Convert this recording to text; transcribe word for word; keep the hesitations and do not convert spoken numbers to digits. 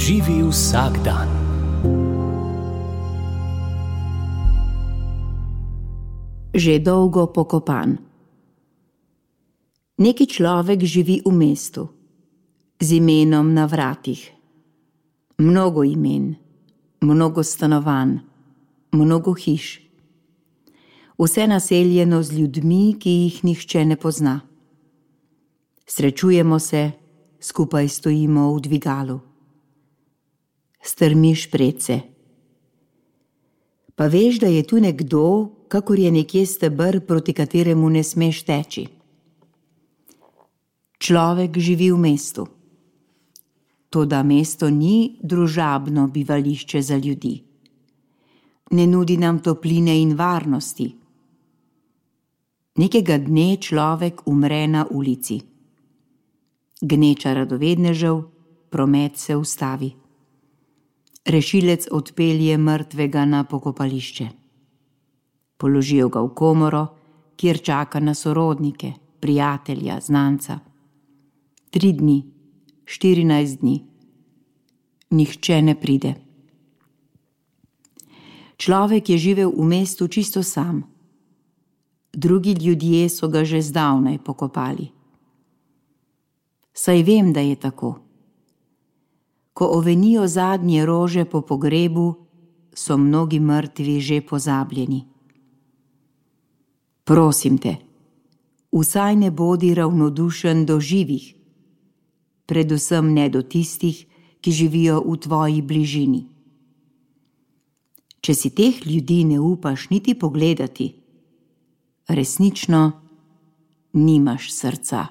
Živi vsak dan. Že dolgo pokopan. Neki človek živi v mestu, z imenom na vratih. Mnogo imen, mnogo stanovanj, mnogo hiš. Vse naseljeno z ljudmi, ki jih nihče ne pozna. Srečujemo se, skupaj stojimo v dvigalu. Strmiš predse. Pa veš, da je tu nekdo, kakor je nekje steber, proti kateremu ne smeš teči. Človek živi v mestu. Toda mesto ni družabno bivališče za ljudi. Ne nudi nam topline in varnosti. Nekega dne človek umre na ulici. Gneča radovednežev, promet se ustavi. Rešilec odpelje mrtvega na pokopališče. Položijo ga v komoro, kjer čaka na sorodnike, prijatelja, znanca. Tri dni, štirinajst dni. Nihče ne pride. Človek je živel v mestu čisto sam. Drugi ljudje so ga že zdavnaj pokopali. Saj vem, da je tako. Ko ovenijo zadnje rože po pogrebu, so mnogi mrtvi že pozabljeni. Prosim te, vsaj ne bodi ravnodušen do živih, predvsem ne do tistih, ki živijo v tvoji bližini. Če si teh ljudi ne upaš niti pogledati, resnično nimaš srca.